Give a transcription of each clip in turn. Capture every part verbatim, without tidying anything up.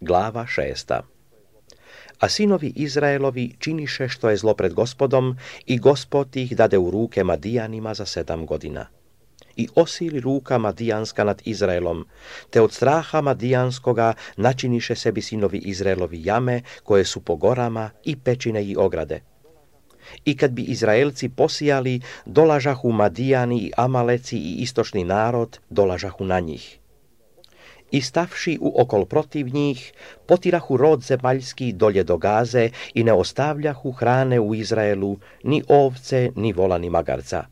Glava šesta. A sinovi Izraelovi činiše što je zlo pred Gospodom i Gospod ih dade u ruke Madijanima za sedam godina. I osili ruka Madijanska nad Izraelom, te od straha Madijanskoga načiniše sebi sinovi Izraelovi jame koje su po gorama i pećine i ograde. I kad bi Izraelci posijali, dolažahu Madijani i Amaleci i istočni narod, dolažahu na njih. I stavši u okol protiv njih, potirahu rod zemaljski dolje do Gaze i ne ostavljahu hrane u Izraelu, ni ovce, ni vola, ni magarca.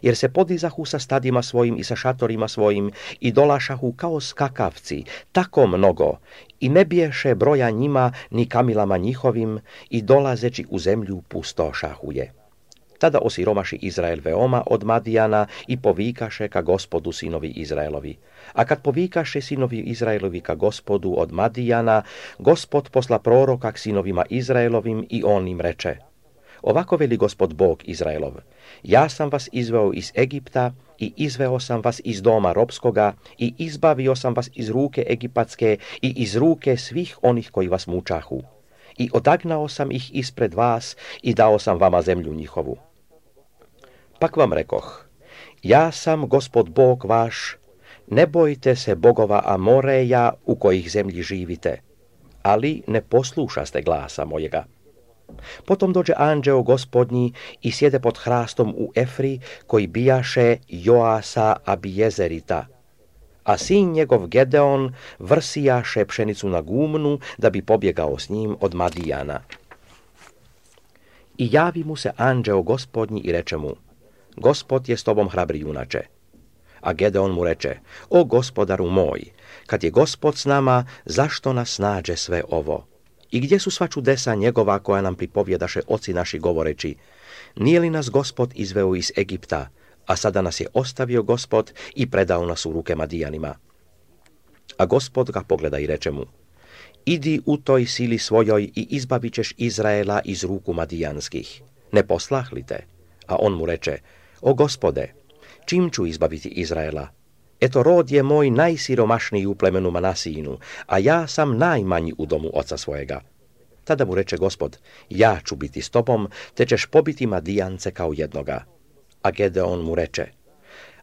Jer se podizahu sa stadima svojim i sa šatorima svojim i dolašahu kao skakavci, tako mnogo, i ne biješe broja njima ni kamilama njihovim i dolazeći u zemlju pustošahu je. Tada osiromaši Izrael veoma od Madijana i povikaše ka Gospodu sinovi Izraelovi. A kad povikaše sinovi Izraelovi ka Gospodu od Madijana, Gospod posla proroka k sinovima Izraelovim i on im reče: Ovako veli Gospod Bog Izraelov: Ja sam vas izveo iz Egipta i izveo sam vas iz doma robskoga i izbavio sam vas iz ruke egipatske i iz ruke svih onih koji vas mučahu. I odagnao sam ih ispred vas i dao sam vama zemlju njihovu. Pak vam rekoh: Ja sam Gospod Bog vaš, ne bojte se bogova Amoreja u kojih zemlji živite, ali ne poslušaste glasa mojega. Potom dođe anđeo Gospodnji i sjede pod hrastom u Efri, koji bijaše Joasa Abijezerita, a sin njegov Gedeon vrsijaše pšenicu na gumnu, da bi pobjegao s njim od Madijana. I javi mu se anđeo Gospodnji i reče mu: Gospod je s tobom, hrabri junače. A Gedeon mu reče: O gospodaru moj, kad je Gospod s nama, zašto nas nađe sve ovo? I gdje su sva čudesa njegova koja nam pripovjedaše oci naši govoreći: Nije li nas Gospod izveo iz Egipta, a sada nas je ostavio Gospod i predao nas u ruke Madijanima? A Gospod ga pogleda i reče mu: Idi u toj sili svojoj i izbavit ćeš Izraela iz ruku Madijanskih. Ne poslah li te? A on mu reče: O Gospode, čim ću izbaviti Izraela? Eto, rod je moj najsiromašniji u plemenu Manasijinu, a ja sam najmanji u domu oca svojega. Tada mu reče Gospod: Ja ću biti s tobom, te ćeš pobiti Madijance kao jednoga. A Gedeon mu reče: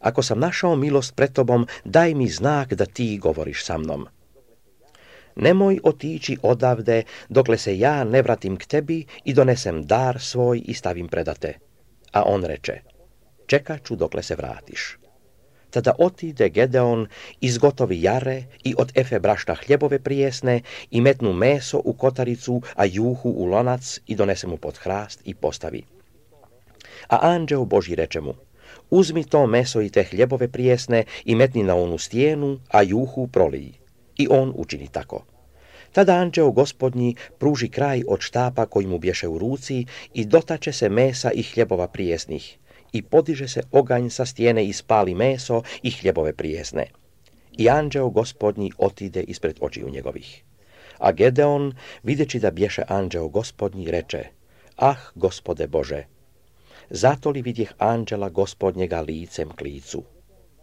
Ako sam našao milost pred tobom, daj mi znak da ti govoriš sa mnom. Nemoj otići odavde, dokle se ja ne vratim k tebi i donesem dar svoj i stavim predate. A on reče: Čekat ću dokle se vratiš. Tada otide Gedeon, izgotovi jare i od efe brašna hljebove prijesne i metnu meso u kotaricu, a juhu u lonac i donese mu pod hrast i postavi. A anđeo Božji reče mu: Uzmi to meso i te hljebove prijesne i metni na onu stijenu, a juhu proliji. I on učini tako. Tada anđeo Gospodnji pruži kraj od štapa koji mu bješe u ruci i dotače se mesa i hljebova prijesnih. I podiže se oganj sa stijene i spali meso i hljebove prijesne. I anđeo Gospodnji otide ispred očiju njegovih. A Gedeon, videći da bješe anđeo Gospodnji, reče: Ah, Gospode Bože, zato li vidjeh anđela Gospodnjega licem k licu?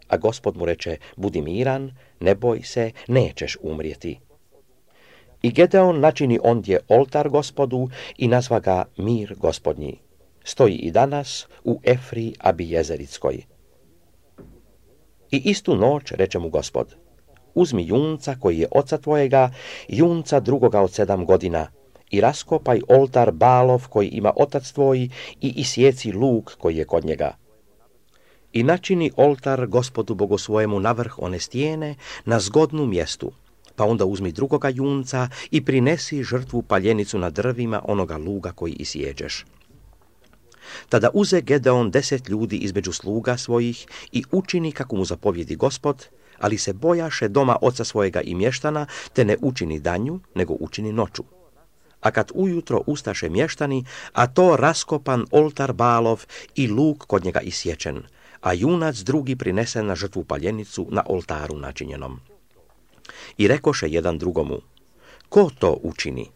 A Gospod mu reče: Budi miran, ne boj se, nećeš umrijeti. I Gedeon načini ondje oltar Gospodu i nazva ga Mir Gospodnji. Stoji i danas u Efri Abijezerickoj. I istu noć reče mu Gospod: Uzmi junca koji je oca tvojega, junca drugoga od sedam godina, i raskopaj oltar Balov koji ima otac tvoj i isjeci luk koji je kod njega. I načini oltar Gospodu Bogu svojemu na vrh one stijene, na zgodnu mjestu, pa onda uzmi drugoga junca i prinesi žrtvu paljenicu na drvima onoga luga koji isjeđeš. Tada uze Gedeon deset ljudi između sluga svojih i učini kako mu zapovjedi Gospod, ali se bojaše doma oca svojega i mještana, te ne učini danju, nego učini noću. A kad ujutro ustaše mještani, a to raskopan oltar Balov i luk kod njega isječen, a junac drugi prinesen na žrtvu paljenicu na oltaru načinjenom. I rekoše jedan drugomu: Ko to učini?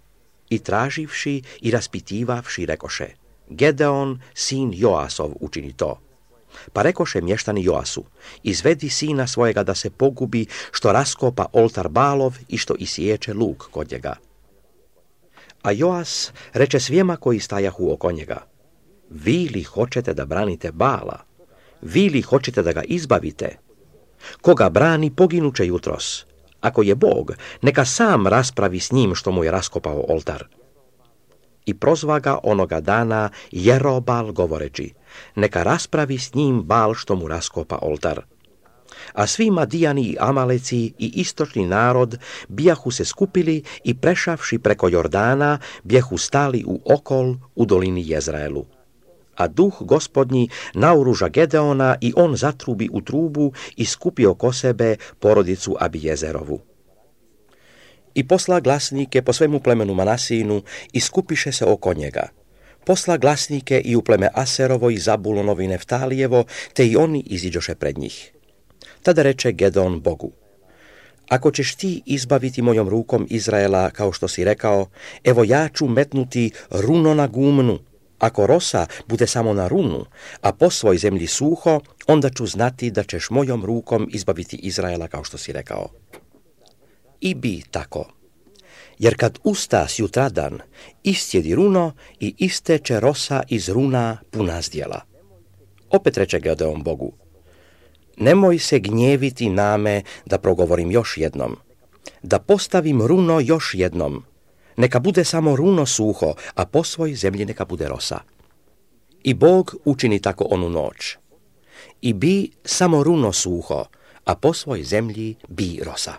I traživši i raspitivavši rekoše: Gedeon, sin Joasov, učini to. Pa rekoše mještani Joasu, izvedi sina svojega da se pogubi, što raskopa oltar Balov i što isječe luk kod njega. A Joas reče svijema koji stajahu oko njega, vi li hoćete da branite Bala? Vi li hoćete da ga izbavite? Koga brani, poginuće jutros. Ako je Bog, neka sam raspravi s njim što mu je raskopao oltar. I prozva ga onoga dana Jerobal govoreći, neka raspravi s njim Bal što mu raskopa oltar. A svi Madijani i Amaleci i istočni narod bijahu se skupili i prešavši preko Jordana, bjehu stali u okol u dolini Jezraelu. A duh gospodnji naoruža Gedeona i on zatrubi u trubu i skupi oko sebe porodicu Abijezerovu. I posla glasnike po svemu plemenu Manasijinu i skupiše se oko njega. Posla glasnike i u pleme Aserovo i Zabulonovo i Neftalijevo, te i oni iziđoše pred njih. Tada reče Gedeon Bogu, ako ćeš ti izbaviti mojom rukom Izraela, kao što si rekao, evo ja ću metnuti runo na gumnu. Ako rosa bude samo na runu, a po svoj zemlji suho, onda ću znati da ćeš mojom rukom izbaviti Izraela, kao što si rekao. I bi tako. Jer kad usta sjutradan, istjedi runo i isteče rosa iz runa puna zdjela. Opet reče Gedeon Bogu, nemoj se gnjeviti name da progovorim još jednom, da postavim runo još jednom, neka bude samo runo suho, a po svoj zemlji neka bude rosa. I Bog učini tako onu noć. I bi samo runo suho, a po svoj zemlji bi rosa.